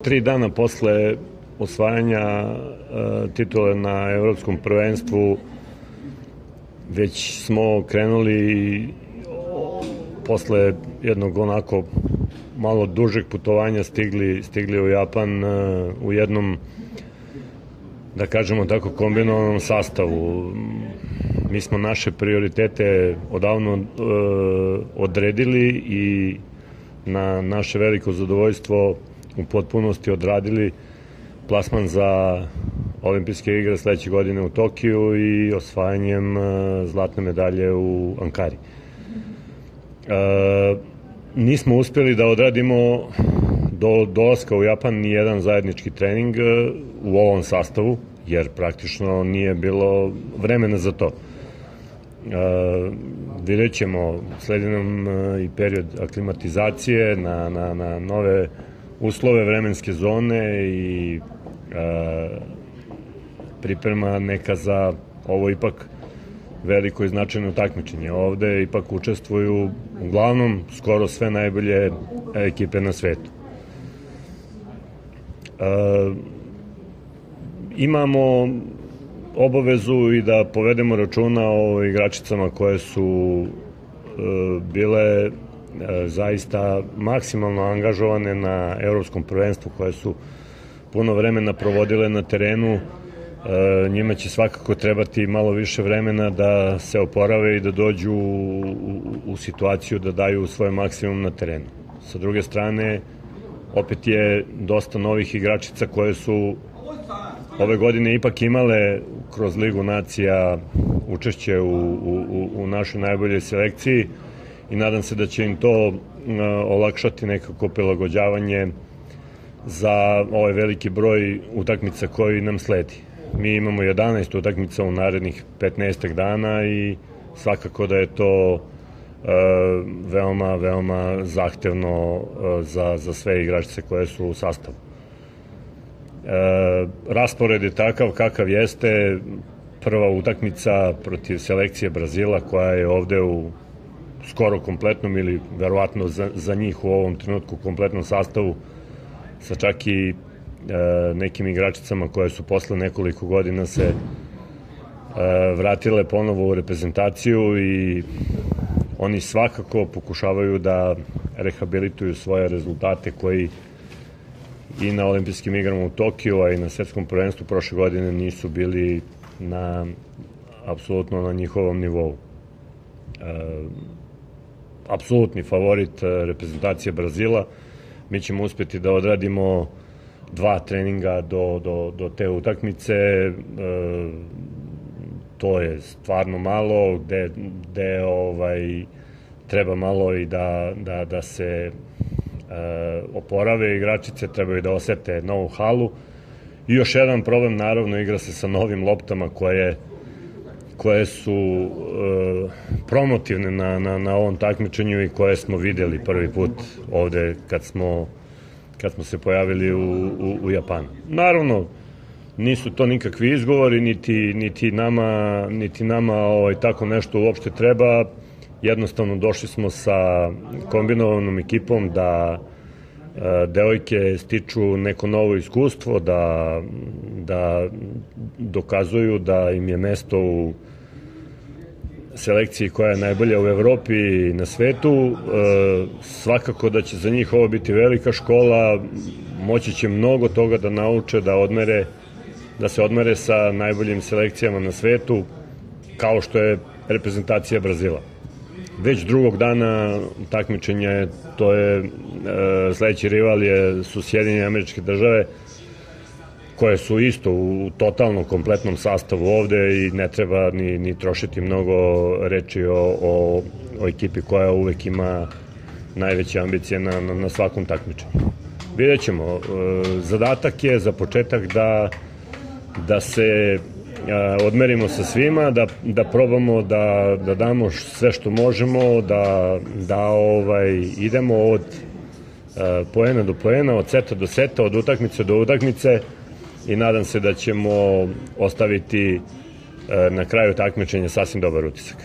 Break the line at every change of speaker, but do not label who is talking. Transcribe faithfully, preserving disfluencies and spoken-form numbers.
Tri dana posle osvajanja titule na evropskom prvenstvu već smo krenuli posle jednog onako malo dužeg putovanja stigli, stigli u Japan u jednom, da kažemo tako, kombinovanom sastavu. Mi smo naše prioritete odavno e, odredili i na naše veliko zadovoljstvo u potpunosti odradili plasman za olimpijske igre sledeće godine u Tokiju i osvajanjem zlatne medalje u Ankari. E, nismo uspeli da odradimo do dolaska u Japan ni jedan zajednički trening u ovom sastavu, jer praktično nije bilo vremena za to. E, vidjet ćemo, sledi nam i period aklimatizacije na, na, na nove uslove vremenske zone i e, priprema neka za ovo ipak veliko i značajno takmičenje. Ovde ipak učestvuju uglavnom skoro sve najbolje ekipe na svetu. E, imamo obavezu i da povedemo računa o igračicama koje su e, bile e, zaista maksimalno angažovane na evropskom prvenstvu, koje su puno vremena provodile na terenu. E, njima će svakako trebati malo više vremena da se oporave i da dođu u, u, u situaciju da daju svoj maksimum na terenu. Sa druge strane, opet je dosta novih igračica koje su ove godine ipak imale kroz Ligu nacija učešće u, u, u našoj najboljoj selekciji i nadam se da će im to olakšati nekako prilagođavanje za ovaj veliki broj utakmica koji nam sledi. Mi imamo jedanaest utakmica u narednih petnaest dana i svakako da je to e, veoma, veoma zahtevno e, za, za sve igračice koje su u sastavu. E, raspored je takav kakav jeste. Prva utakmica protiv selekcije Brazila, koja je ovde u skoro kompletnom ili verovatno za, za njih u ovom trenutku kompletnom sastavu, sa čak i e, nekim igračicama koje su posle nekoliko godina se e, vratile ponovo u reprezentaciju i oni svakako pokušavaju da rehabilituju svoje rezultate koji i na olimpijskim igrama u Tokiju, a i na svetskom prvenstvu prošle godine nisu bili na apsolutno na njihovom nivou. E, apsolutni favorit reprezentacije Brazila. Mi ćemo uspeti da odradimo dva treninga do, do, do te utakmice. E, to je stvarno malo, gde, gde ovaj, treba malo i da, da, da se e, oporave igračice, trebaju da osete novu halu. I još jedan problem, naravno, igra se sa novim loptama koje, koje su e, promotivne na, na, na ovom takmičenju i koje smo videli prvi put ovde kad smo, kad smo se pojavili u, u, u Japanu. Naravno, nisu to nikakvi izgovori, niti, niti nama, niti nama ovaj, tako nešto uopšte treba. Jednostavno došli smo sa kombinovanom ekipom da e, devojke stiču neko novo iskustvo, da, da dokazuju da im je mesto u selekciji koja je najbolja u Evropi i na svetu. E, svakako da će za njih ovo biti velika škola, moći će mnogo toga da nauče, da odmere, da se odmere sa najboljim selekcijama na svetu, kao što je reprezentacija Brazila. Već drugog dana takmičenja, to je e, sledeći rival je, su Sjedinjene Američke Države, koje su isto u totalno kompletnom sastavu ovde i ne treba ni, ni trošiti mnogo reči o, o, o ekipi koja uvek ima najveće ambicije na, na, na svakom takmičenju. Vidjet ćemo. E, zadatak je za početak da, da se odmerimo sa svima, da, da probamo da, da damo sve što možemo, da, da ovaj, idemo od uh, poena do poena, od seta do seta, od utakmice do utakmice i nadam se da ćemo ostaviti uh, na kraju takmičenja sasvim dobar utisak.